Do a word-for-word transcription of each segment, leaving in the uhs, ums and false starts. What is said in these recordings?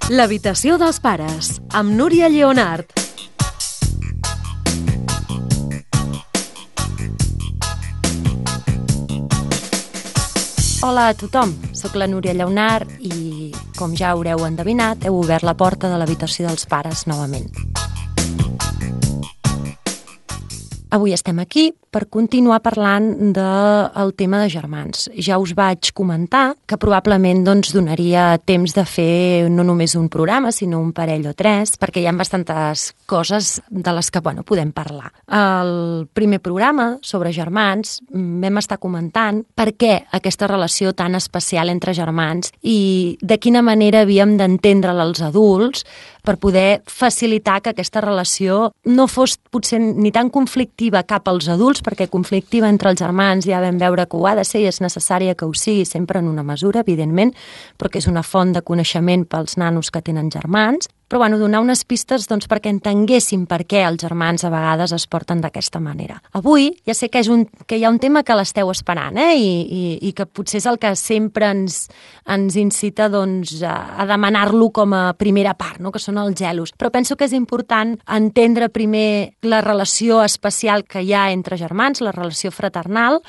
L'habitació dels pares, amb Núria Lleonart. Hola a tothom, sóc la Núria Lleonart i, com ja haureu endevinat, heu obert la porta de l'habitació dels pares novament. Avui estem aquí per continuar parlant del tema de germans. Ja us vaig comentar que probablement doncs, donaria temps de fer no només un programa, sinó un parell o tres, perquè hi ha bastantes coses de les que bueno, podem parlar. Al primer programa sobre germans vam estar comentant per què aquesta relació tan especial entre germans i de quina manera havíem d'entendre-la els adults per poder facilitar que aquesta relació no fos potser ni tan conflictiva cap als adults, perquè conflictiva entre els germans ja vam veure que ho ha de ser i és necessària que ho sigui sempre en una mesura, evidentment, però que és una font de coneixement pels nanos que tenen germans. Però bueno, donar unes pistes doncs, perquè entenguéssim per què els germans a vegades es porten d'aquesta manera. Avui ja sé que, és un, que hi ha un tema que l'esteu esperant eh? I, i, i que potser és el que sempre ens, ens incita doncs, a, a demanar-lo com a primera part, no? Que són els gelos. Però penso que és important entendre primer la relació especial que hi ha entre germans, la relació fraternal,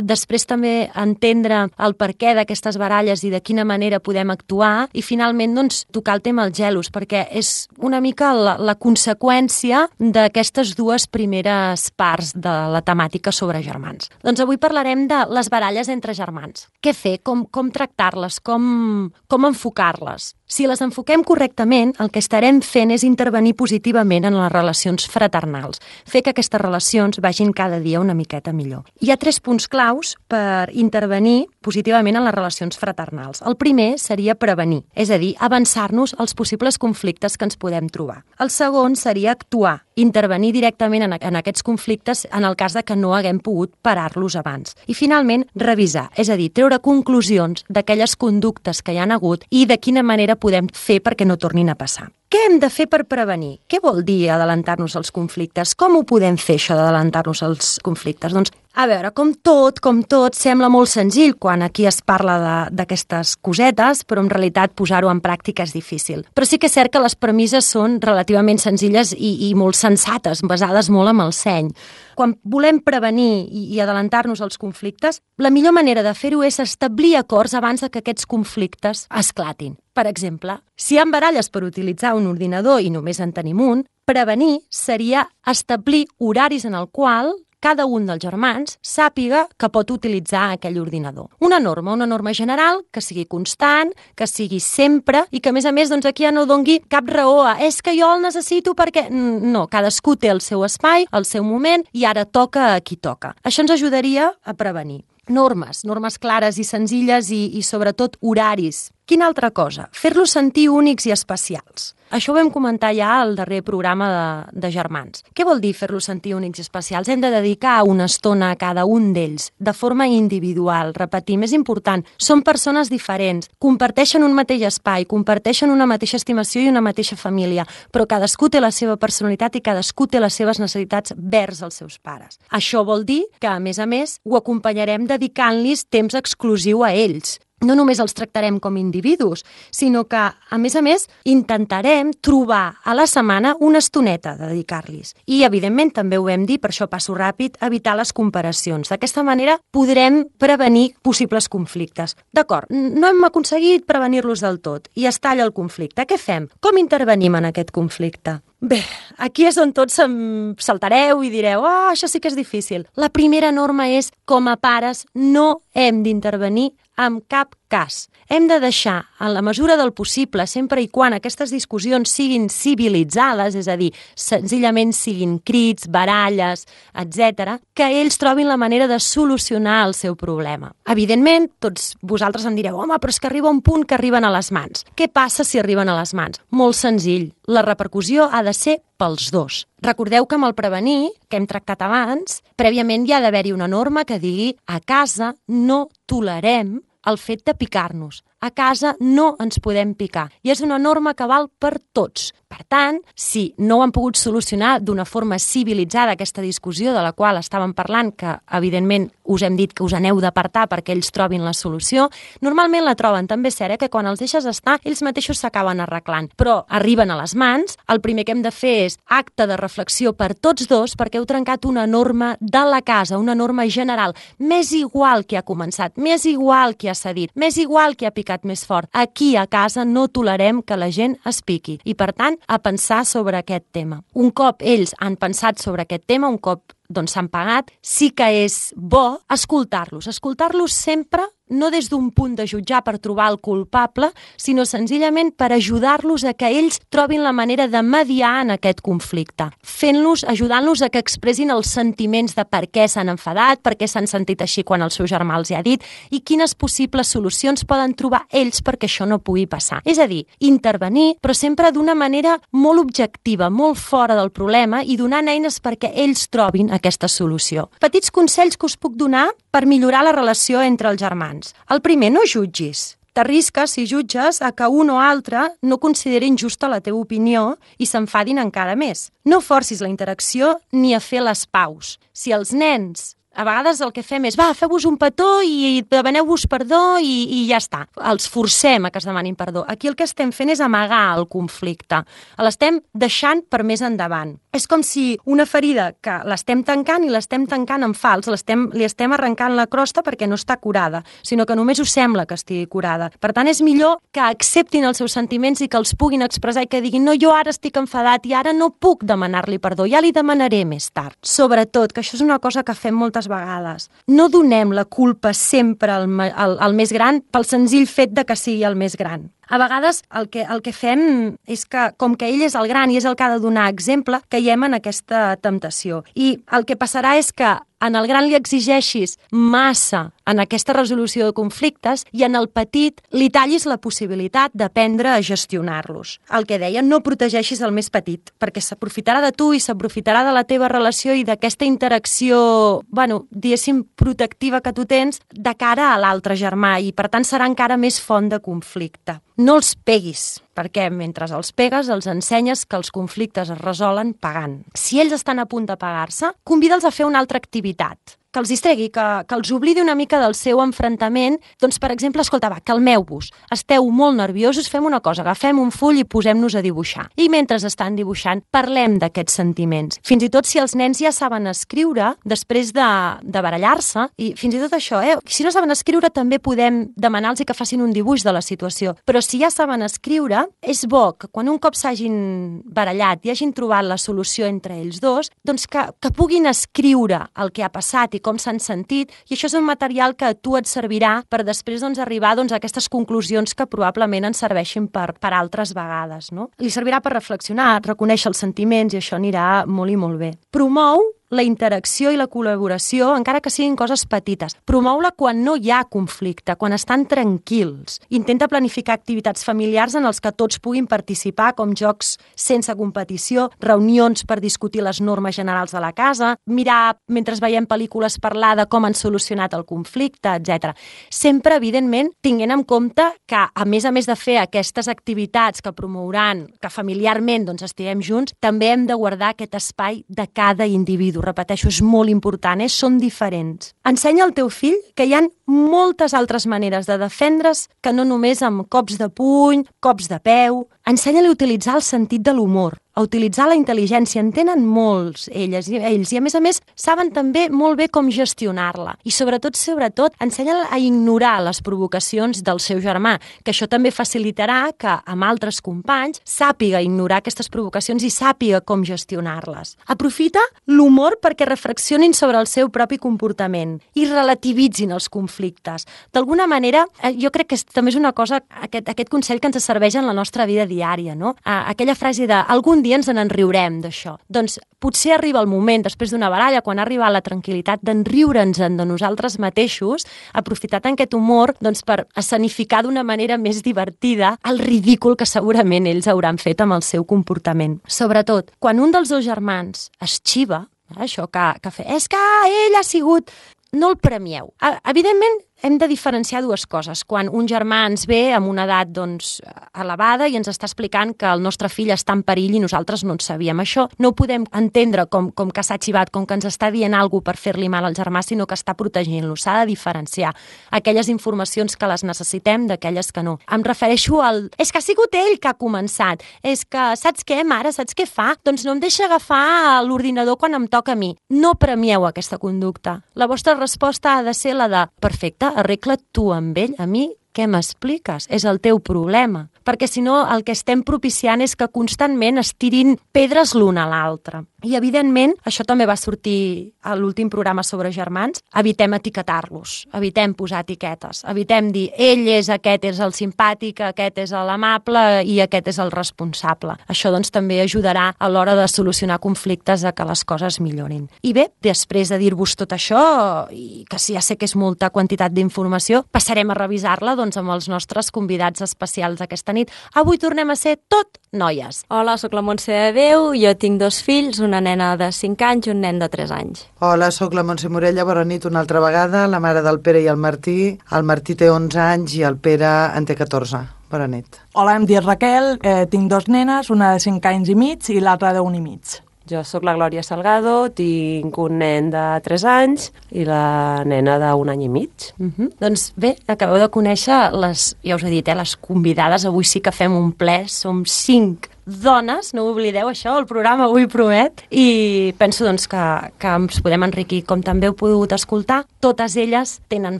després també entendre el perquè d'aquestes baralles i de quina manera podem actuar i finalment doncs, tocar el tema dels gelos, perquè és una mica la, la conseqüència d'aquestes dues primeres parts de la temàtica sobre germans. Doncs avui parlarem de les baralles entre germans. Què fer? Com, com tractar-les? Com, com enfocar-les? Si les enfoquem correctament, el que estarem fent és intervenir positivament en les relacions fraternals, fer que aquestes relacions vagin cada dia una miqueta millor. Hi ha tres punts claus per intervenir positivament en les relacions fraternals. El primer seria prevenir, és a dir, avançar-nos als possibles conflictes que ens podem trobar. El segon seria actuar, intervenir directament en, en aquests conflictes en el cas de que no haguem pogut parar-los abans. I finalment, revisar, és a dir, treure conclusions d'aquelles conductes que hi han hagut i de quina manera podem fer perquè no tornin a passar. Què hem de fer per prevenir? Què vol dir adelantar-nos als conflictes? Com ho podem fer, això d'adelantar-nos als conflictes? Doncs, a veure, com tot, com tot, sembla molt senzill quan aquí es parla d'aquestes cosetes, però en realitat posar-ho en pràctica és difícil. Però sí que és cert que les premisses són relativament senzilles i, i molt sensates, basades molt en el seny. Quan volem prevenir i, i adelantar-nos als conflictes, la millor manera de fer-ho és establir acords abans de que aquests conflictes esclatin. Per exemple, si hi ha baralles per utilitzar un ordinador i només en tenim un, prevenir seria establir horaris en el qual cada un dels germans sàpiga que pot utilitzar aquell ordinador. Una norma, una norma general que sigui constant, que sigui sempre i que, a més a més, doncs, aquí ja no dongui cap raó a és que jo el necessito perquè... No, cadascú té el seu espai, el seu moment i ara toca a qui toca. Això ens ajudaria a prevenir. Normes, normes clares i senzilles i, i sobretot horaris. Quina altra cosa? Fer-los sentir únics i especials. Això ho vam comentar ja al darrer programa de, de germans. Què vol dir fer-los sentir únics i especials? Hem de dedicar una estona a cada un d'ells, de forma individual. Repetim, és important, són persones diferents, comparteixen un mateix espai, comparteixen una mateixa estimació i una mateixa família, però cadascú té la seva personalitat i cadascú té les seves necessitats vers els seus pares. Això vol dir que, a més a més, ho acompanyarem dedicant-los temps exclusiu a ells. No només els tractarem com individus, sinó que, a més a més, intentarem trobar a la setmana una estoneta de dedicar-los. I, evidentment, també ho hem dit, per això passo ràpid, evitar les comparacions. D'aquesta manera podrem prevenir possibles conflictes. D'acord, no hem aconseguit prevenir-los del tot i es talla el conflicte. Què fem? Com intervenim en aquest conflicte? Bé, aquí és on tots saltareu i direu «Ah, oh, això sí que és difícil». La primera norma és, com a pares, no hem d'intervenir en cap cas. Hem de deixar, en la mesura del possible, sempre i quan aquestes discussions siguin civilitzades, és a dir, senzillament siguin crits, baralles, etcètera, que ells trobin la manera de solucionar el seu problema. Evidentment, tots vosaltres em direu, home, però és que arriba un punt que arriben a les mans. Què passa si arriben a les mans? Molt senzill. La repercussió ha de ser pels dos. Recordeu que amb el prevenir, que hem tractat abans, prèviament hi ha d'haver-hi una norma que digui a casa no tolerem el fet de picar-nos. a casa no ens podem picar. I és una norma que val per tots. Per tant, si no ho han pogut solucionar d'una forma civilitzada aquesta discussió de la qual estàvem parlant, que evidentment us hem dit que us aneu d'apartar perquè ells trobin la solució, normalment la troben. També és cert eh, que quan els deixes estar, ells mateixos s'acaben arreglant. Però arriben a les mans, el primer que hem de fer és acte de reflexió per tots dos perquè heu trencat una norma de la casa, una norma general. M'és igual qui ha començat, m'és igual qui ha cedit, m'és igual qui ha picat més fort. Aquí a casa no tolerem que la gent es piqui. I per tant, a pensar sobre aquest tema. Un cop ells han pensat sobre aquest tema, un cop doncs s'han pagat, sí que és bo escoltar-los. Escoltar-los sempre no des d'un punt de jutjar per trobar el culpable, sinó senzillament per ajudar-los a que ells trobin la manera de mediar en aquest conflicte, fent-los, ajudant-los a que expressin els sentiments de per què s'han enfadat, per què s'han sentit així quan el seu germà els hi ha dit i quines possibles solucions poden trobar ells perquè això no pugui passar. És a dir, intervenir, però sempre d'una manera molt objectiva, molt fora del problema i donant eines perquè ells trobin aquesta solució. Petits consells que us puc donar per millorar la relació entre els germans. El primer, no jutgis. T'arrisques, si jutges, a que un o altre no considerin justa la teva opinió i s'enfadin encara més. No forcis la interacció ni a fer les paus. Si els nens... A vegades el que fem és, va, feu-vos un petó i demaneu-vos perdó i, i ja està. Els forcem a que es demanin perdó. Aquí el que estem fent és amagar el conflicte. L'estem deixant per més endavant. És com si una ferida que l'estem tancant i l'estem tancant en fals, l'estem, li estem arrencant la crosta perquè no està curada, sinó que només us sembla que estigui curada. Per tant, és millor que acceptin els seus sentiments i que els puguin expressar i que diguin, no, jo ara estic enfadat i ara no puc demanar-li perdó, ja li demanaré més tard. Sobretot, que això és una cosa que fem moltes vegades. No donem la culpa sempre al, al, al més gran pel senzill fet de que sigui el més gran. A vegades el que, el que fem és que, com que ell és el gran i és el que ha de donar exemple, caiem en aquesta temptació. I el que passarà és que en el gran li exigeixis massa en aquesta resolució de conflictes i en el petit li tallis la possibilitat d'aprendre a gestionar-los. El que deia, no protegeixis el més petit, perquè s'aprofitarà de tu i s'aprofitarà de la teva relació i d'aquesta interacció, bueno, diguéssim, protectiva que tu tens de cara a l'altre germà i, per tant, serà encara més font de conflicte. No els peguis, perquè mentre els pegues els ensenyes que els conflictes es resolen pagant. Si ells estan a punt de pagar-se, convida'ls a fer una altra activitat, que els distregui, que, que els oblidi una mica del seu enfrontament. Doncs, per exemple, escolta, va, calmeu-vos, esteu molt nerviosos, fem una cosa, agafem un full i posem-nos a dibuixar. I mentre estan dibuixant, parlem d'aquests sentiments. Fins i tot si els nens ja saben escriure, després de, de barallar-se, i fins i tot això, eh? Si no saben escriure, també podem demanar-los que facin un dibuix de la situació. Però si ja saben escriure, és bo que quan un cop s'hagin barallat i hagin trobat la solució entre ells dos, doncs que, que puguin escriure el que ha passat i com s'han sentit, i això és un material que a tu et servirà per després doncs, arribar doncs, a aquestes conclusions que probablement ens serveixin per, per altres vegades. No? Li servirà per reflexionar, reconèixer els sentiments, i això anirà molt i molt bé. Promou la interacció i la col·laboració, encara que siguin coses petites. Promou-la quan no hi ha conflicte, quan estan tranquils. Intenta planificar activitats familiars en els que tots puguin participar, com jocs sense competició, reunions per discutir les normes generals de la casa, mirar, mentre veiem pel·lícules, parlar de com han solucionat el conflicte, etcètera. Sempre, evidentment, tinguent en compte que, a més a més de fer aquestes activitats que promouran, que familiarment doncs, estiguem junts, també hem de guardar aquest espai de cada individu. Repeteixo, és molt important, eh? Són diferents. Ensenya al teu fill que hi ha moltes altres maneres de defendre's que no només amb cops de puny, cops de peu. Ensenya-li a utilitzar el sentit de l'humor, a utilitzar la intel·ligència. En tenen molts elles i ells, i a més a més saben també molt bé com gestionar-la. I sobretot, sobretot, ensenya-la a ignorar les provocacions del seu germà, que això també facilitarà que amb altres companys sàpiga ignorar aquestes provocacions i sàpiga com gestionar-les. Aprofita l'humor perquè reflexionin sobre el seu propi comportament i relativitzin els conflictes. D'alguna manera, jo crec que és, també és una cosa, aquest, aquest consell que ens serveix en la nostra vida diària, no? Aquella frase de algun dia ens en riurem d'això. Doncs potser arriba el moment, després d'una baralla, quan ha arribat la tranquil·litat, d'enriure'ns de nosaltres mateixos, aprofitat en aquest humor doncs, per escenificar d'una manera més divertida el ridícul que segurament ells hauran fet amb el seu comportament. Sobretot, quan un dels dos germans es xiva, això que, que fa, és que ell ha sigut... No el premieu. Evidentment, hem de diferenciar dues coses. Quan un germà ens ve amb una edat doncs, elevada i ens està explicant que el nostre fill està en perill i nosaltres no en sabíem. Això no ho podem entendre com, com que s'ha xivat, com que ens està dient alguna cosa per fer-li mal al germà, sinó que està protegint-lo. S'ha de diferenciar aquelles informacions que les necessitem d'aquelles que no. Em refereixo al... És que ha sigut ell que ha començat. És que, saps què, mare? Saps què fa? Doncs no em deixa agafar l'ordinador quan em toca a mi. No premieu aquesta conducta. La vostra resposta ha de ser la de perfecte, arregla't tu amb ell, a mi què m'expliques? És el teu problema. Perquè si no el que estem propiciant és que constantment es tirin pedres l'un a l'altre. I evidentment, això també va sortir a l'últim programa sobre germans, evitem etiquetar-los, evitem posar etiquetes, evitem dir ell és aquest, és el simpàtic, aquest és l'amable i aquest és el responsable. Això doncs també ajudarà a l'hora de solucionar conflictes a que les coses millorin. I bé, després de dir-vos tot això, i que sí, ja sé que és molta quantitat d'informació, passarem a revisar-la doncs, amb els nostres convidats especials aquesta nit. Avui tornem a ser tot noies. Hola, sóc la Montse de Déu, jo tinc dos fills, una nena de cinc anys i un nen de tres anys. Hola, sóc la Montse Morella, bona nit una altra vegada, la mare del Pere i el Martí. El Martí té onze anys i el Pere en té catorze. Bona nit. Hola, em dic Raquel, eh, tinc dos nenes, una de cinc anys i mig i l'altra d'un i mig. Jo sóc la Glòria Salgado, tinc un nen de tres anys i la nena d'un any i mig. Uh-huh. Doncs bé, acabeu de conèixer les, ja us he dit, eh, les convidades. Avui sí que fem un ple, som cinc dones, no oblideu això, el programa avui promet, i penso doncs, que, que ens podem enriquir. Com també heu pogut escoltar, totes elles tenen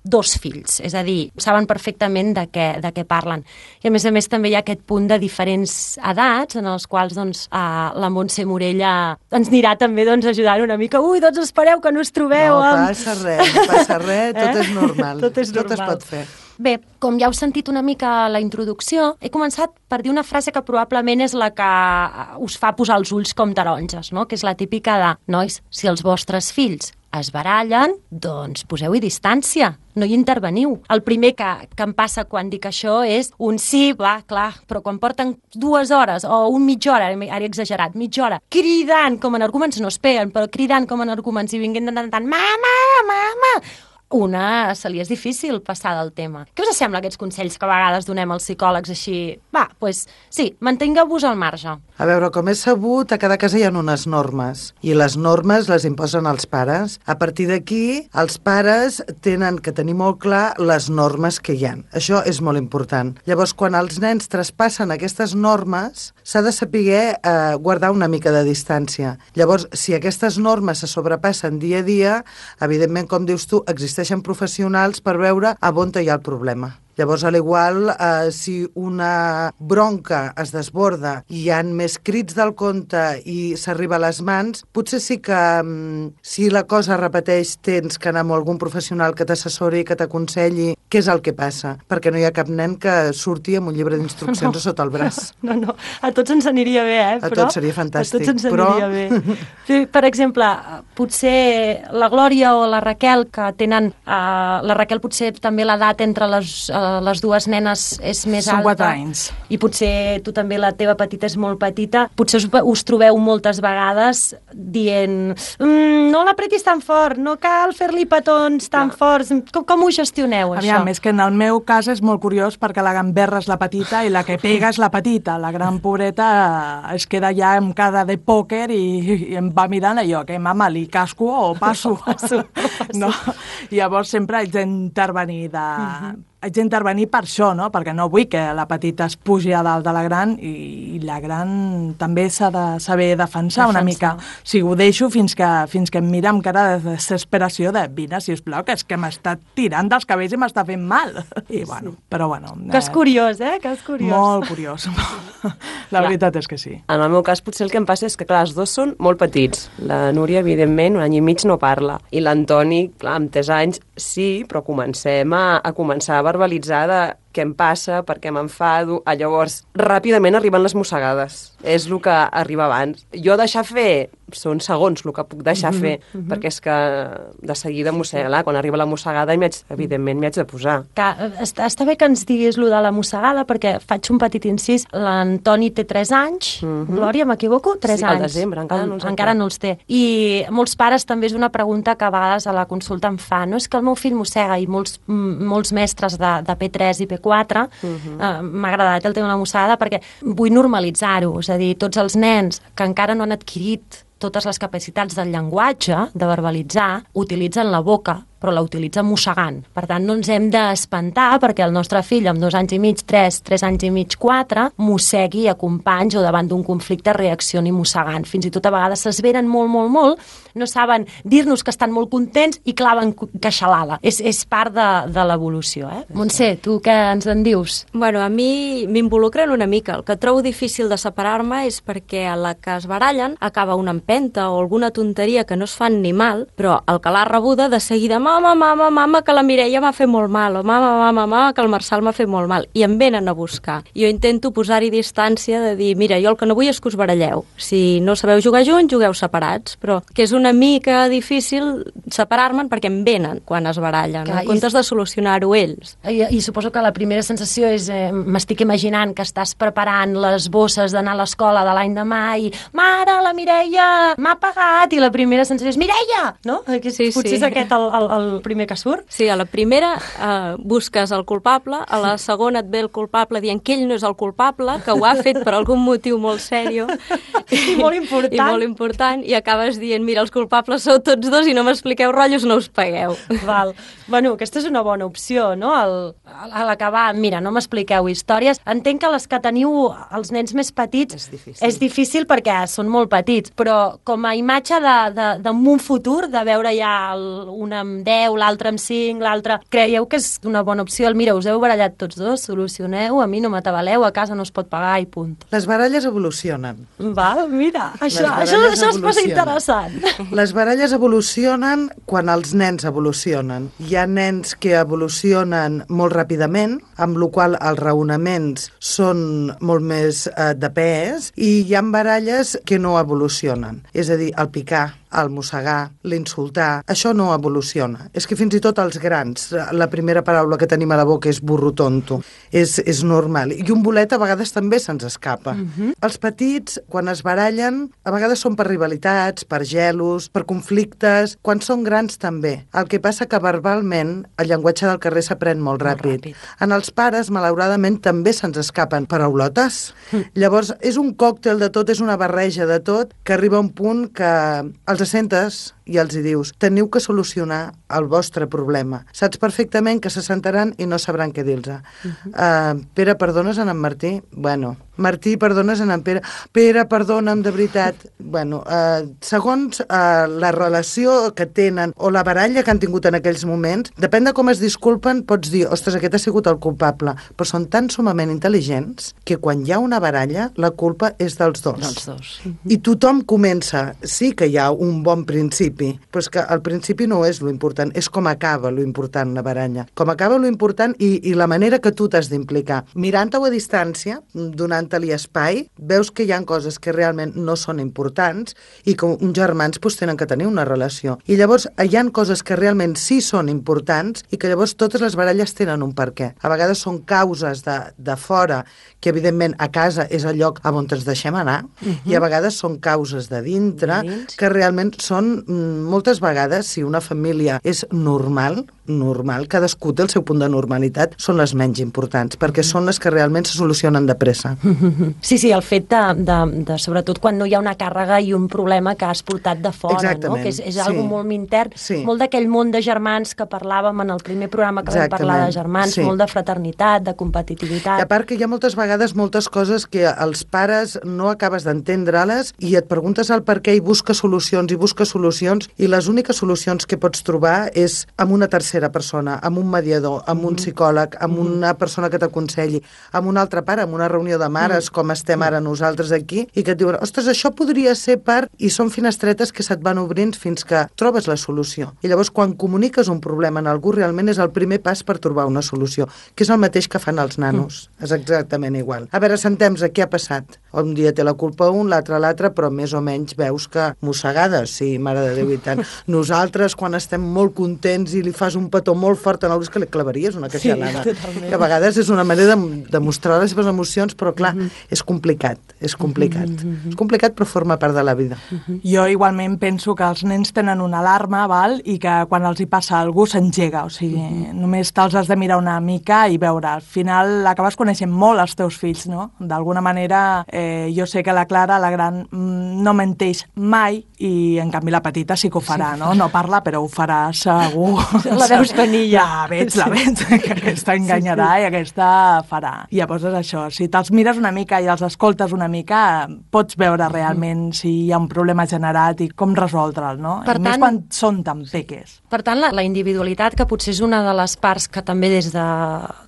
dos fills, és a dir, saben perfectament de què, de què parlen. I a més a més també hi ha aquest punt de diferents edats en els quals doncs, eh, la Montse Morella ens anirà també doncs, ajudant una mica. Ui, doncs espereu que no us trobeu. No amb... passa res, no passa res, tot eh? és normal. Tot és normal. Tot es pot fer. Bé, com ja heu sentit una mica a la introducció, he començat per dir una frase que probablement és la que us fa posar els ulls com taronges, no? Que és la típica de, nois, si els vostres fills es barallen, doncs poseu-hi distància, no hi interveniu. El primer que, que em passa quan dic això és un sí, va, clar, però quan porten dues hores o un mitja hora, ara he exagerat, mitja hora, cridant com en arguments, no es peguen, però cridant com en arguments i vinguent tant, tant, mama, mama... Una, se li és difícil passar del tema. Què us sembla aquests consells que a vegades donem als psicòlegs així? Va, doncs pues, sí, mantingueu-vos al marge. A veure, com és sabut, a cada casa hi ha unes normes, i les normes les imposen els pares. A partir d'aquí, els pares tenen que tenir molt clar les normes que hi ha. Això és molt important. Llavors, quan els nens traspassen aquestes normes, s'ha de saber eh, guardar una mica de distància. Llavors, si aquestes normes se sobrepassen dia a dia, evidentment, com dius tu, existeixen professionals per veure a on hi ha el problema. Llavors, a l'igual, eh, si una bronca es desborda i hi ha més crits del compte i s'arriba a les mans, potser sí que mm, si la cosa repeteix tens que anar amb algun professional que t'assessori, que t'aconselli què és el que passa, perquè no hi ha cap nen que surti amb un llibre d'instruccions no. sota el braç. No, no, a tots ens aniria bé, eh? A però, tots seria fantàstic. A tots ens però... aniria bé. Sí, per exemple, potser la Glòria o la Raquel, que tenen... Uh, la Raquel potser també l'edat entre les... Uh, les dues nenes és més Són alta. quatre anys. I potser tu també, la teva petita és molt petita. Potser us, us trobeu moltes vegades dient mmm, no l'apretis tan fort, no cal fer-li petons tan Clar. forts. Com, com ho gestioneu, Aviam, això? És que en el meu cas és molt curiós perquè la gamberra és la petita i la que pega és la petita. La gran pobreta es queda ja amb cara de pòquer i, i em va mirant allò, que mama, li casco o passo? No, passo, no passo. No? Llavors sempre haig d'intervenir de... Uh-huh. haig d'intervenir per això, no? Perquè no vull que la petita es pugi a dalt de la gran i, i la gran també s'ha de saber defensar, defensar una mica. O sigui, ho deixo fins que, fins que em mira amb cara de desesperació de vine, sisplau, que és que m'està tirant dels cabells i m'està fent mal. I bueno, sí. Però bueno... Que és curiós, eh? Que és curiós. Molt curiós. La clar, veritat és que sí. En el meu cas potser el que em passa és que, clar, els dos són molt petits. La Núria, evidentment, un any i mig no parla. I l'Antoni, clar, amb tres anys sí, però comencem a, a començar a verbalitzar de què em passa, per què m'enfado. Ah, llavors, ràpidament arriben les mossegades. És el que arriba abans. Jo deixar fer són segons el que puc deixar mm -hmm, fer, mm -hmm. perquè és que de seguida mossega, sí, sí. Quan arriba la mossegada, evidentment m'hi haig de posar. Que, està, està bé que ens diguis lo de la mossegada, perquè faig un petit incís. L'Antoni té tres anys, mm -hmm. Glòria, m'equivoco? tres sí, anys. al desembre, encara no els encara no els té. I molts pares també és una pregunta que a vegades a la consulta em fa. No és que el meu fill mossega, i molts, molts mestres de, de P tres i P quatre mm -hmm. eh, m'ha agradat el tema de la mossegada perquè vull normalitzar-ho, és a dir, tots els nens que encara no han adquirit totes les capacitats del llenguatge, de verbalitzar, utilitzen la boca, però la utilitzen mossegant. Per tant, no ens hem d'espantar perquè el nostre fill, amb dos anys i mig, tres, tres anys i mig, quatre, mossegui a companys o davant d'un conflicte reaccioni mossegant. Fins i tot a vegades s'esveren molt, molt, molt, no saben dir-nos que estan molt contents i claven queixalada. És, és part de, de l'evolució, eh? Montse, tu què ens en dius? Bueno, a mi m'involucren una mica. El que trobo difícil de separar-me és perquè a la que es barallen acaba una empenta o alguna tonteria que no es fan ni mal, però el que l'ha rebuda de seguida, mama, mama, mama, que la Mireia m'ha fet molt mal, o mama, mama, mama, que el Marçal m'ha fet molt mal, i em venen a buscar. Jo intento posar-hi distància de dir, mira, jo el que no vull és que us baralleu. Si no sabeu jugar junts, jugueu separats, però que és una mica difícil separar-me'n perquè em venen quan es barallen, en comptes de solucionar-ho ells. I, I suposo que la primera sensació és, eh, m'estic imaginant que estàs preparant les bosses d'anar a l'escola de l'any demà i, mare, la Mireia m'ha pagat, i la primera sensació és, Mireia! No? Que sí, potser sí. és aquest el, el, el primer que surt. Sí, a la primera eh, busques el culpable, a la segona et ve el culpable dient que ell no és el culpable, que ho ha fet per algun motiu molt sèrio. I molt important. I molt important, i acabes dient, mira, els culpables sou tots dos i no m'expliqueu rotllos, no us pagueu. Val. Bueno, aquesta és una bona opció, no? El, a l'acabar, mira, no m'expliqueu històries. Entenc que les que teniu els nens més petits és difícil, és difícil perquè són molt petits, però com a imatge d'un futur, de veure ja el, un amb deu, l'altre amb cinc, l'altre... Creieu que és una bona opció? El, mira, us heu barallat tots dos, solucioneu, a mi no m'atabaleu, a casa no es pot pagar i punt. Les baralles evolucionen. Val, mira, això, això, això es posa interessant. Les baralles evolucionen quan els nens evolucionen. Hi ha nens que evolucionen molt ràpidament, amb la qual els raonaments són molt més eh, de pes, i hi ha baralles que no evolucionen. És a dir, el picar, el mossegar, l'insultar, això no evoluciona. És que fins i tot els grans, la primera paraula que tenim a la boca és burro tonto. És, és normal. I un bolet a vegades també se'ns escapa. Uh-huh. Els petits, quan es barallen, a vegades són per rivalitats, per gelos, per conflictes. Quan són grans també. El que passa que verbalment el llenguatge del carrer s'aprèn molt ràpid. molt ràpid. En els pares, malauradament, també se'ns escapen paraulotes. Uh-huh. Llavors, és un còctel de tot, és una barreja de tot, que arriba a un punt que els sentes i els hi dius, teniu que solucionar el vostre problema. Saps perfectament que se sentaran i no sabran què dir-los. Uh-huh. uh, Pere, perdones en en Martí? Bueno, Martí, perdones en en Pere? Pere, perdona'm, de veritat. Bueno, uh, segons uh, la relació que tenen o la baralla que han tingut en aquells moments, depèn de com es disculpen, pots dir, ostres, aquest ha sigut el culpable, però són tan sumament intel·ligents que quan hi ha una baralla, la culpa és dels dos. Dels dos. Uh-huh. I tothom comença, sí que hi ha un bon principi, però és que al principi no és lo important, és com acaba lo important la baralla. Com acaba lo important i, i la manera que tu t'has d'implicar. Mirant-ho a distància, donant-li espai, veus que hi ha coses que realment no són importants i que uns germans pues, tenen que tenir una relació. I llavors hi ha coses que realment sí són importants i que llavors totes les baralles tenen un per què. A vegades són causes de, de fora, que evidentment a casa és el lloc on ens deixem anar, uh-huh. i a vegades són causes de dintre, que realment són moltes vegades, si una família és normal, normal, cadascú té el seu punt de normalitat, són les menys importants, perquè mm. són les que realment se solucionen de pressa. Sí, sí, el fet de, de, de, sobretot quan no hi ha una càrrega i un problema que has portat de fora, exactament, no? Que és, és sí. algo molt intern, sí. molt d'aquell món de germans que parlàvem en el primer programa que exactament. Vam parlar de germans, sí. molt de fraternitat, de competitivitat. I a part que hi ha moltes vegades moltes coses que els pares no acabes d'entendre-les i et preguntes el per què i busques solucions i busques solucions i les úniques solucions que pots trobar és amb una tercera tercera persona, amb un mediador, amb un psicòleg, amb una persona que t'aconselli, amb un altre pare, amb una reunió de mares, com estem ara nosaltres aquí, i que et diuen, ostres, això podria ser per... I són finestretes que se't van obrint fins que trobes la solució. I llavors, quan comuniques un problema en algú, realment és el primer pas per trobar una solució, que és el mateix que fan els nanos. Mm. És exactament igual. A veure, sentem-nos, què ha passat? Un dia té la culpa un, l'altre l'altre, però més o menys veus que mossegades, sí, mare de Déu i tant. Nosaltres, quan estem molt contents i li fas un petó molt fort en algú, és que li clavaries una queixalada. Sí, totalment. Que a vegades és una manera de, de mostrar les seves emocions, però clar, mm -hmm. és complicat, és complicat. Mm -hmm. És complicat, però forma part de la vida. Mm -hmm. Jo igualment penso que els nens tenen una alarma, val? I que quan els hi passa alguna cosa s'engega, o sigui, mm -hmm. només te'ls has de mirar una mica i veure. Al final acabes coneixent molt els teus fills, no? D'alguna manera, eh, jo sé que la Clara, la gran, no menteix mai, i en canvi la petita sí que ho farà, no? No parla, però ho farà segur. La veus venir ja. La veig, la veig, que aquesta enganyarà i aquesta farà. I llavors és això, si te'ls mires una mica i els escoltes una mica, pots veure realment si hi ha un problema generat i com resoldre'l, no? Per I més tant, quan són tan peques. Per tant, la, la individualitat, que potser és una de les parts que també des de,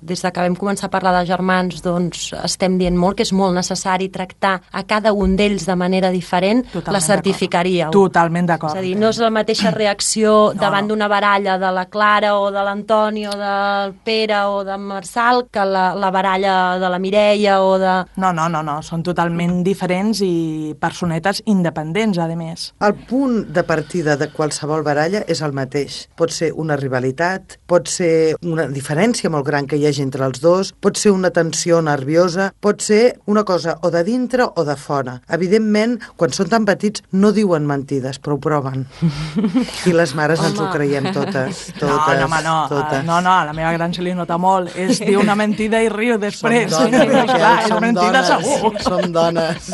des de que vam començar a parlar de germans, doncs estem dient molt, que és molt necessari tractar a cada un d'ells de manera diferent, totalment la certificaríeu. Totalment d'acord. És a dir, no és la mateixa reacció no, davant no. d'una baralla de la Clara o de l'Antoni o del Pere o de Marçal que la, la baralla de la Mireia o de... No, no, no, no, són totalment diferents i personetes independents, a més. El punt de partida de qualsevol baralla és el mateix. Pot ser una rivalitat, pot ser una diferència molt gran que hi hagi entre els dos, pot ser una tensió nerviosa, pot ser una cosa o de dintre o de fora. Evidentment, quan són tan petits no diuen mentides, però ho proven. I les mares ens ho creiem totes, totes, no, no, home, no, totes. No, no, a la meva gran se li nota molt. És dir una mentida i riu després. Som dones, no, clar, som mentida dones, segur. Som dones.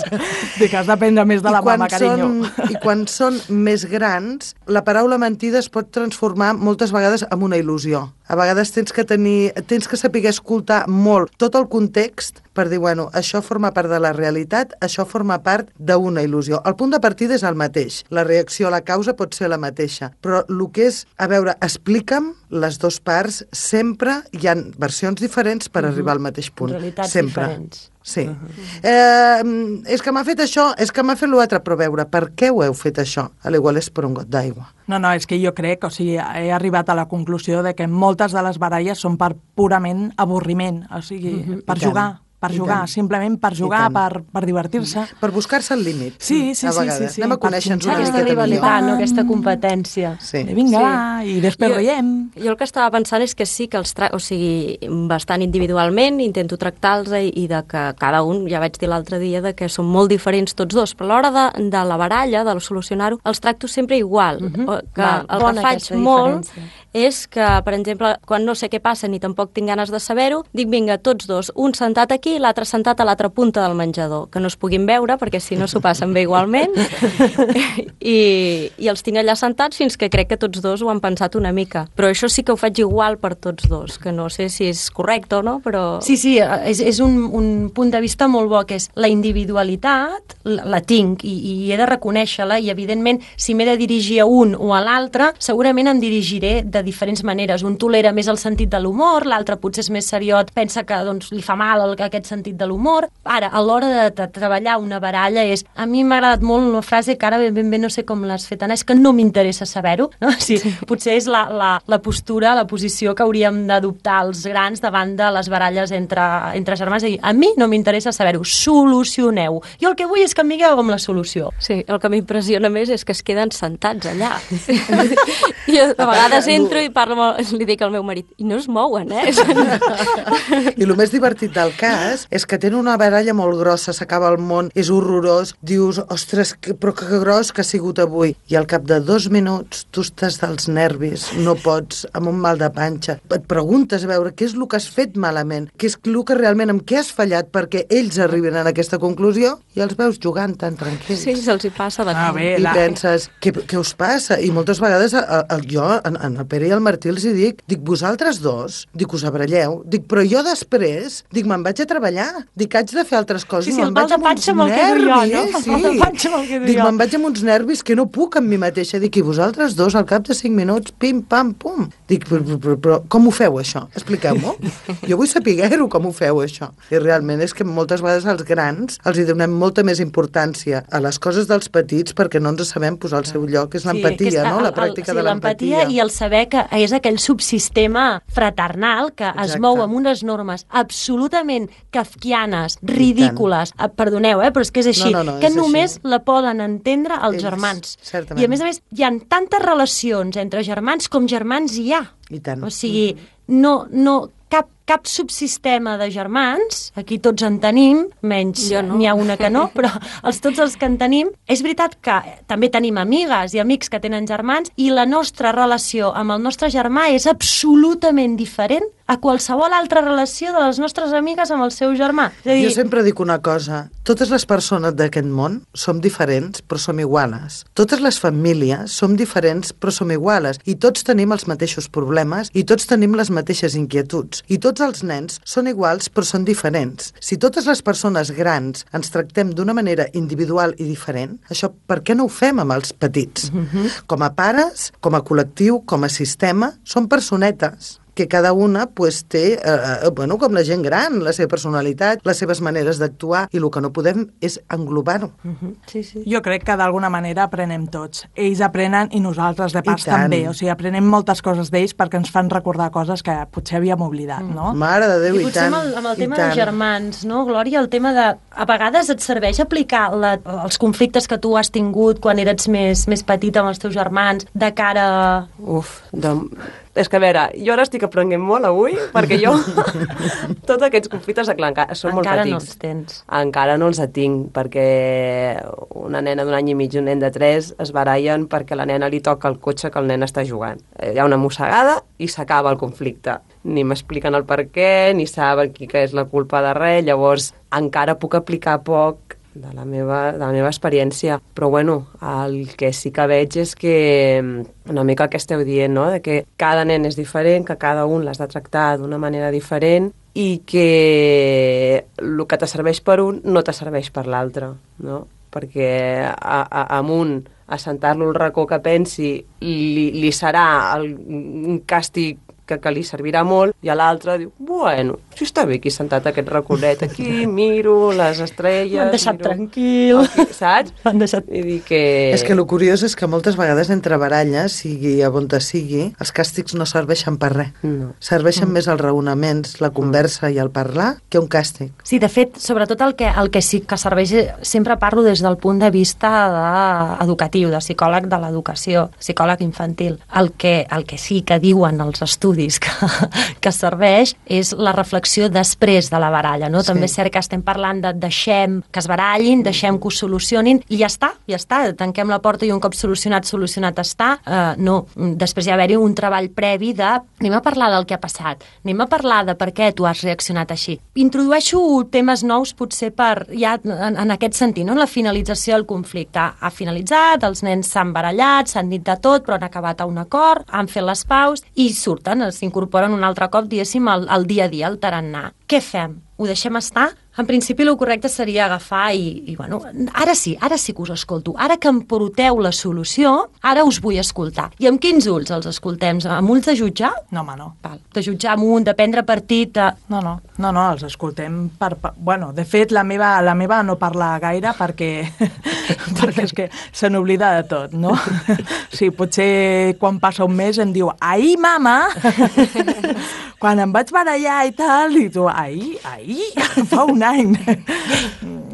Dic que has d'aprendre més de la mama, carinyo. Són, I quan són més grans, la paraula mentida es pot transformar moltes vegades en una il·lusió. A vegades tens que tenir, tens que saber escoltar molt tot el context per dir, bueno, això forma part de la realitat, això forma part d'una il·lusió. El punt de partida és el mateix. La reacció a la causa pot ser la mateixa. Però el que és, a veure, explica'm les dues parts, sempre hi ha versions diferents per uh-huh. arribar al mateix punt. Realitats sempre. diferents. Sí. Uh-huh. eh, és que m'ha fet això, és que m'ha fet l'altre, però veure, per què ho heu fet això? A l'igual és per un got d'aigua. No, no, és que jo crec, o sigui, he arribat a la conclusió de que moltes de les baralles són per purament avorriment, o sigui, uh-huh. per jugar. Per jugar, simplement per jugar, per, per divertir-se. Per buscar-se el límit. Sí, sí, a sí, vegades. sí, sí. Anem a conèixer-nos una Aquesta miqueta rivalitat, millor. no? Aquesta competència. Sí. I vinga, Sí. va, i després Jo- riem. Jo el que estava pensant és que sí que els tra... o sigui, bastant individualment intento tractar-los i, i de que cada un, ja vaig dir l'altre dia, de que són molt diferents tots dos, però a l'hora de, de la baralla, de solucionar-ho, els tracto sempre igual. Mhm. que Va, el bona que faig aquesta molt diferència. és que, per exemple, quan no sé què passa ni tampoc tinc ganes de saber-ho, dic, vinga, tots dos, un sentat aquí i l'altre sentat a l'altra punta del menjador, que no es puguin veure perquè si no s'ho passen bé igualment I, i els tinc allà sentats fins que crec que tots dos ho han pensat una mica, però això sí que ho faig igual per tots dos, que no sé si és correcte o no, però... Sí, sí, és, és un, un punt de vista molt bo, que és la individualitat, la, la tinc i, i he de reconèixer-la, i evidentment si m'he de dirigir a un o a l'altre, segurament em dirigiré de diferents maneres. Un tolera més el sentit de l'humor, l'altre potser és més seriot, pensa que doncs, li fa mal el, aquest sentit de l'humor. Ara, a l'hora de, de treballar una baralla és... A mi m'ha agradat molt una frase que ara ben ben, ben no sé com l'has fet, Anna, és que no m'interessa saber-ho, no? Sí, sí. Potser és la, la, la postura, la posició que hauríem d'adoptar els grans davant de les baralles entre, entre germans. I a mi no m'interessa saber-ho, solucioneu. Jo el que vull és que em digueu com la solució. Sí, el que m'impressiona més és que es queden sentats allà. Jo a vegades entro i parlo amb, li dic al meu marit, i no es mouen, eh? I el més divertit del cas és que tenen una baralla molt grossa, s'acaba el món, és horrorós, dius, ostres, que, però que gros que ha sigut avui. I al cap de dos minuts tu estàs dels nervis, no pots, amb un mal de panxa. Et preguntes a veure què és el que has fet malament, què és el que realment, amb què has fallat perquè ells arriben a aquesta conclusió i els veus jugant tan tranquils. Sí, se'ls hi passa de Ah, cop. bé, I la... penses, què, què us passa? I moltes vegades a, a, jo, en, en el Pere i el Martí els hi dic, dic, vosaltres dos, dic, us abralleu, dic, però jo després, dic, me'n vaig a treballar treballar. Dic, haig de fer altres coses. Sí, sí, el pal de panxa me'l quedo jo, no? El pal de panxa me'l quedo jo. Dic, me'n vaig amb uns nervis que no puc amb mi mateixa. Dic, i vosaltres dos, al cap de cinc minuts, pim, pam, pum. Dic, però, però, però com ho feu, això? Expliqueu-m'ho. Jo vull saber-ho, com ho feu, això. I realment és que moltes vegades als grans els hi donem molta més importància a les coses dels petits perquè no ens sabem posar al seu lloc. És l'empatia, sí, no? La pràctica el, el, de l'empatia. I el saber que és aquell subsistema fraternal que Exacte. Es mou amb unes normes absolutament kafkianes, ridícules, perdoneu, eh, però és que és així, no, no, no, que és només així. La poden entendre els Ells, germans. Certament. I a més a més hi ha tantes relacions entre germans com germans hi ha. I tant. O sigui, no, no, cap, cap subsistema de germans, aquí tots en tenim, menys no. n'hi ha una que no, però els, tots els que en tenim, és veritat que també tenim amigues i amics que tenen germans i la nostra relació amb el nostre germà és absolutament diferent a qualsevol altra relació de les nostres amigues amb el seu germà. És a dir... Jo sempre dic una cosa, totes les persones d'aquest món som diferents però som iguales. Totes les famílies som diferents però som iguales i tots tenim els mateixos problemes i tots tenim les mateixes inquietuds i tots els nens són iguals però són diferents. Si totes les persones grans ens tractem d'una manera individual i diferent, això per què no ho fem amb els petits? Mm-hmm. Com a pares, com a col·lectiu, com a sistema, són personetes que cada una pues, té, eh, bueno, com la gent gran, la seva personalitat, les seves maneres d'actuar, i el que no podem és englobar-ho. Uh-huh. Sí, sí. Jo crec que d'alguna manera aprenem tots. Ells aprenen i nosaltres de pas també. O sigui, aprenem moltes coses d'ells perquè ens fan recordar coses que potser havíem oblidat, mm. no? Mare de Déu, i, i tant. Amb el, amb el tema dels germans, no, Glòria? El tema de... A vegades et serveix aplicar la, els conflictes que tu has tingut quan eres més, més petita amb els teus germans de cara... Uf, de... És que, a veure, jo ara estic aprenent molt avui, perquè jo, tots aquests conflictes, clar, encara són molt encara petits. No els tens. Encara no els tinc, perquè una nena d'un any i mig i un nen de tres es barallen perquè la nena li toca el cotxe que el nen està jugant. Hi ha una mossegada i s'acaba el conflicte. Ni m'expliquen el per què, ni saben qui que és la culpa de res, llavors encara puc aplicar poc de la meva, de la meva experiència. Però, bueno, el que sí que veig és que una mica el que esteu dient, no?, de que cada nen és diferent, que cada un l'has de tractar d'una manera diferent i que el que te serveix per un no te serveix per l'altre, no? Perquè a, a, amb un assentar-lo al racó que pensi li, li serà el, un càstig que, que li servirà molt, i a l'altre diu, bueno, si està bé aquí sentat aquest raconet, aquí miro les estrelles... M'han deixat miro... tranquil. Aquí, saps? M'han deixat... I dir que... És que el curiós és que moltes vegades entre baralles, sigui a on te sigui, els càstigs no serveixen per res. No. Serveixen mm. més els raonaments, la conversa i el parlar, que un càstig. Sí, de fet, sobretot el que, el que sí que serveix, sempre parlo des del punt de vista de, educatiu, de psicòleg de l'educació, psicòleg infantil. El que, el que sí que diuen els estudis que, que serveix és la reflexió després de la baralla, no? Sí. També és cert que estem parlant de deixem que es barallin, deixem que ho solucionin i ja està, ja està, tanquem la porta i un cop solucionat, solucionat està. Uh, no, després hi ha d'haver un treball previ de anem a parlar del que ha passat, anem a parlar de per què tu has reaccionat així. Introdueixo temes nous potser per, ja en, en aquest sentit, no? En la finalització del conflicte. Ha finalitzat, els nens s'han barallat, s'han dit de tot, però han acabat a un acord, han fet les paus i surten, s'incorporen un altre cop, diguéssim, al, al dia a dia, al tarannà. Què fem? Ho deixem estar? En principi, el correcte seria agafar i, i, bueno, ara sí, ara sí que us escolto. Ara que em porteu la solució, ara us vull escoltar. I amb quins ulls els escoltem? Amb ulls de jutjar? No, home, no. Val. De jutjar amunt, de prendre partit... De... No, no, no, no, els escoltem per... per bueno, de fet, la meva, la meva no parla gaire perquè, perquè és que se n'oblida de tot, no? Sí, potser quan passa un mes em diu «Ahir, mama!» quan em vaig barallar i tal, i tu «Ahir, ahir, fa un any!»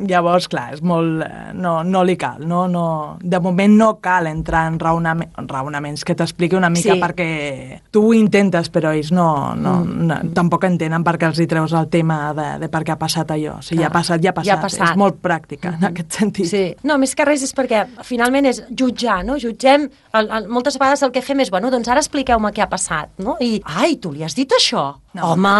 Llavors, clar, és molt... No, no li cal, no, no... De moment no cal entrar en raonament, raonaments que t'expliqui una mica sí. Perquè tu ho intentes, però ells no, no, mm. no, tampoc entenen perquè els hi treus el tema de, de per què ha passat allò. O sigui, ja ha passat, ja ha passat. Ja ha passat. És molt pràctica, mm-hmm. en aquest sentit. Sí. No, més que res és perquè finalment és jutjar, no? Jutgem, el, el, moltes vegades el que fem és, bueno, doncs ara expliqueu-me què ha passat, no? I, ai, tu li has dit això? No. Home,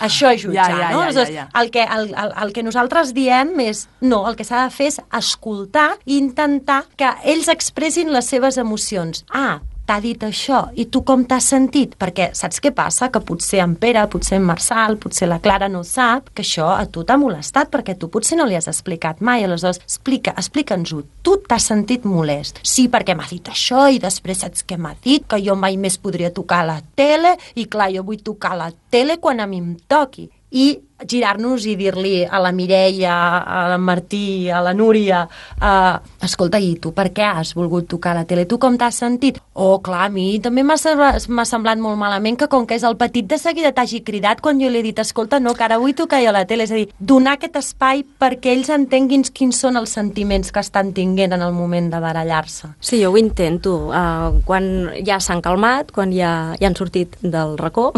això és jutjar, ja, ja, no? Ja, ja, ja. El, que, el, el, el que nosaltres diem és, no, el que s'ha de fer és escoltar i intentar que ells expressin les seves emocions. Ah, t'ha dit això, i tu com t'has sentit? Perquè saps què passa? Que potser en Pere, potser en Marçal, potser la Clara no sap que això a tu t'ha molestat, perquè tu potser no li has explicat mai. Aleshores, explica, explica'ns-ho. Tu t'has sentit molest. Sí, perquè m'ha dit això, i després saps què m'ha dit? Que jo mai més podria tocar la tele, i clar, jo vull tocar la tele quan a mi em toqui. I girar-nos i dir-li a la Mireia, a la Martí, a la Núria, uh, escolta, i tu per què has volgut tocar la tele? Tu com t'has sentit? Oh, clar, a mi també m'ha semblat molt malament que com que és el petit de seguida t'hagi cridat quan jo li he dit, escolta, no, que ara vull tocar jo la tele. És a dir, donar aquest espai perquè ells entenguin quins són els sentiments que estan tinguent en el moment de barallar-se. Sí, jo ho intento. Uh, quan ja s'han calmat, quan ja, ja han sortit del racó,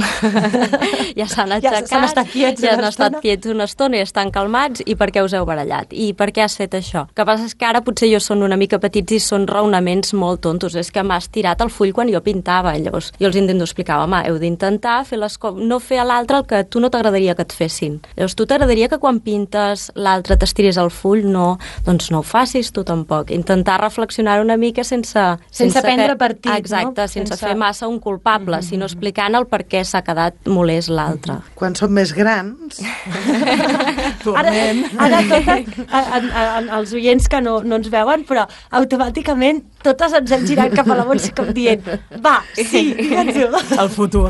ja s'han aixecat, ja s'han estat quiets, ja han estat quiets una estona i estan calmats, i per què us heu barallat? I per què has fet això? El que passa és que ara potser jo són una mica petits i són raonaments molt tontos. És que m'has tirat el full quan jo pintava. Llavors jo els intento explicar, home, heu d'intentar fer les co- no fer a l'altre el que tu no t'agradaria que et fessin. Llavors tu t'agradaria que quan pintes l'altre t'estirés el full? No, doncs no ho facis tu tampoc. Intentar reflexionar una mica sense... Sense, sense prendre que, partit, exacte, no? sense, sense fer massa un culpable, mm-hmm. sinó explicant el per què s'ha quedat molest l'altre. Quan som més grans... Ara, ara totes, a, a, a, els oients que no, no ens veuen, però automàticament totes ens hem girat cap a la Montse com dient, va, sí, digue'ns-ho. El futur.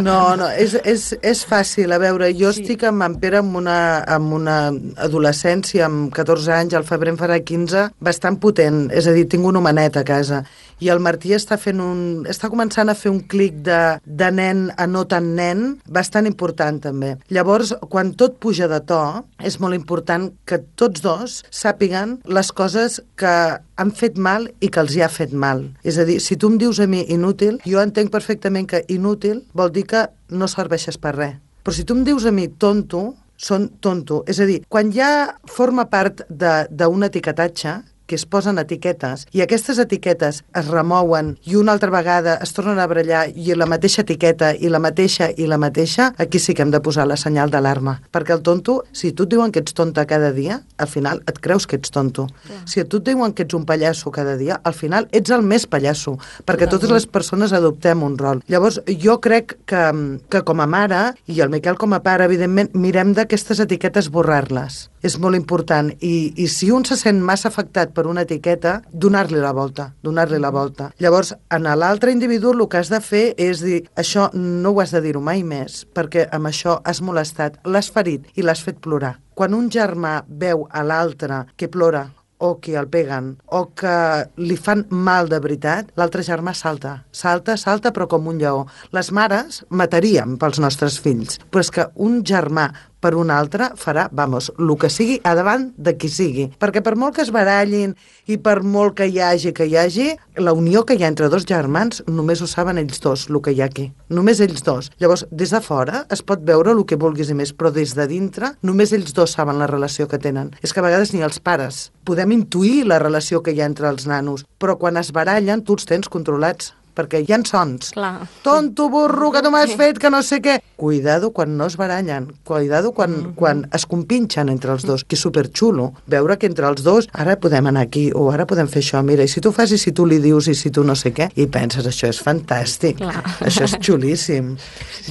No, no, és, és, és fàcil. A veure, jo sí. estic amb en Pere amb una, amb una adolescència, amb catorze anys, al febrer en farà quinze, bastant potent. És a dir, tinc un homenet a casa. I el Martí està fent un... està començant a fer un clic de, de nen a no tan nen, bastant important també. Llavors, quan tot puja de to, és molt important que tots dos sàpiguen les coses que han fet mal i que els hi ha fet mal. És a dir, si tu em dius a mi inútil, jo entenc perfectament que inútil vol dir que no serveixes per res. Però si tu em dius a mi tonto, són tonto. És a dir, quan ja forma part d'un etiquetatge, que es posen etiquetes, i aquestes etiquetes es remouen i una altra vegada es tornen a barallar i la mateixa etiqueta i la mateixa i la mateixa, aquí sí que hem de posar la senyal d'alarma. Perquè el tonto, si tu et diuen que ets tonta cada dia, al final et creus que ets tonto. Yeah. Si a tu et diuen que ets un pallasso cada dia, al final ets el més pallasso, perquè yeah. totes les persones adoptem un rol. Llavors, jo crec que, que com a mare, i el Miquel com a pare, evidentment, mirem d'aquestes etiquetes borrar-les. És molt important. I, i si un se sent massa afectat per una etiqueta, donar-li la volta, donar-li la volta. Llavors, en l'altre individu el que has de fer és dir, això no ho has de dir-ho mai més, perquè amb això has molestat, l'has ferit i l'has fet plorar. Quan un germà veu a l'altre que plora, o que el peguen, o que li fan mal de veritat, l'altre germà salta, salta, salta, però com un lleó. Les mares mataríem pels nostres fills, però és que un germà per un altre farà, vamos, el que sigui a davant de qui sigui. Perquè per molt que es barallin i per molt que hi hagi, que hi hagi, la unió que hi ha entre dos germans només ho saben ells dos, el que hi ha aquí. Només ells dos. Llavors, des de fora es pot veure el que vulguis i més, però des de dintre només ells dos saben la relació que tenen. És que a vegades ni els pares podem intuir la relació que hi ha entre els nanos, però quan es barallen tu els tens controlats, perquè hi ha sons. Clar. Tonto, burro, que tu m'has fet, que no sé què. Cuidado quan no es barallen, cuidado quan, mm -hmm. quan es compinxen entre els dos, que és superxulo. Veure que entre els dos, ara podem anar aquí, o ara podem fer això, mira, i si tu fas, i si tu li dius, i si tu no sé què, i penses, això és fantàstic, clar. Això és xulíssim.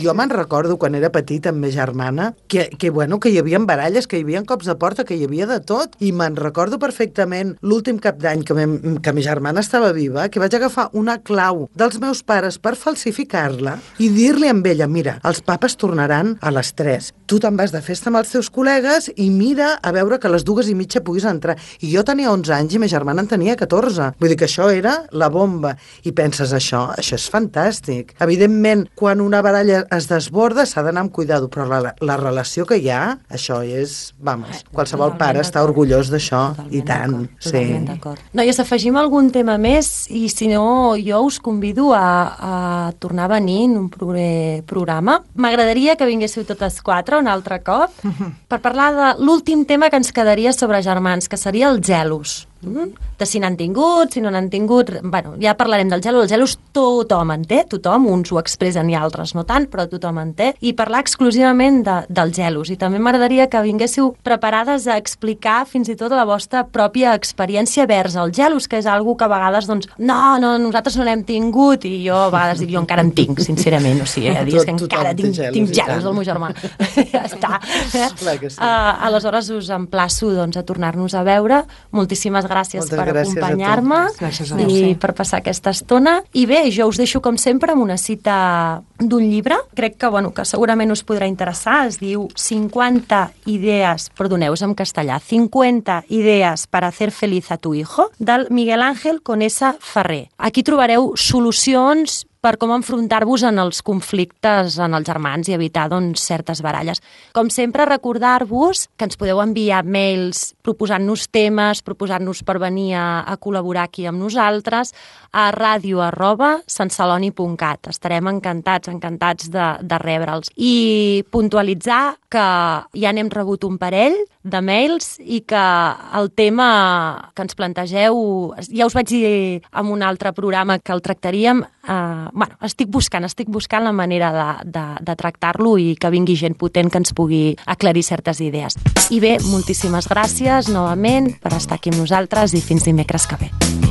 Jo me'n recordo, quan era petita amb ma germana, que, que, bueno, que hi havia baralles, que hi havia cops de porta, que hi havia de tot, i me'n recordo perfectament l'últim cap d'any que, me, que ma germana estava viva, que vaig agafar una clau dels meus pares per falsificar-la i dir-li amb ella, mira, els papes tornaran a les tres. Tu te'n vas de festa amb els teus col·legues i mira a veure que a les dues i mitja puguis entrar. I jo tenia onze anys i ma germana en tenia catorze. Vull dir que això era la bomba. I penses, això, això és fantàstic. Evidentment, quan una baralla es desborda s'ha d'anar amb cuidado, però la, la relació que hi ha, això és, vamos, qualsevol pare està orgullós d'això, i tant. Sí. Noies, afegim algun tema més i si no, jo us convido a, a tornar a venir en un proper programa. M'agradaria que vinguéssiu totes quatre un altre cop per parlar de l'últim tema que ens quedaria sobre germans, que seria els gelos. Mm? De si n'han tingut, si no n'han tingut... Bueno, ja parlarem del gelo. El gelo tothom en té, tothom, uns ho expressen i altres no tant, però tothom en té. I parlar exclusivament de, dels gelos. I també m'agradaria que vinguéssiu preparades a explicar fins i tot la vostra pròpia experiència vers els gelos, que és algo que a vegades, doncs, no, no, nosaltres no n'hem tingut, i jo a vegades dic, jo encara en tinc, sincerament, o sigui, a dir que encara tinc, tinc gelos del meu germà. Ja està. Clar que sí. Uh, aleshores us emplaço doncs, a tornar-nos a veure. Moltíssimes gràcies Moltes per gràcies acompanyar-me i per passar aquesta estona. I bé, jo us deixo com sempre amb una cita d'un llibre, crec que, bueno, que segurament us podrà interessar, es diu cinquanta idees, perdoneu, és en castellà, cinquanta idees per hacer feliz a tu hijo, del Miguel Ángel Conesa Ferrer. Aquí trobareu solucions per com enfrontar-vos en els conflictes en els germans i evitar doncs, certes baralles. Com sempre, recordar-vos que ens podeu enviar mails proposant-nos temes, proposant-nos per venir a, a col·laborar aquí amb nosaltres a ràdio arroba santceloni punt cat. Estarem encantats, encantats de, de rebre'ls. I puntualitzar que ja n'hem rebut un parell de mails i que el tema que ens plantegeu, ja us vaig dir en un altre programa que el tractaríem, eh, bueno, estic buscant, estic buscant la manera de, de, de tractar-lo i que vingui gent potent que ens pugui aclarir certes idees. I bé, moltíssimes gràcies novament per estar aquí amb nosaltres i fins dimecres que ve.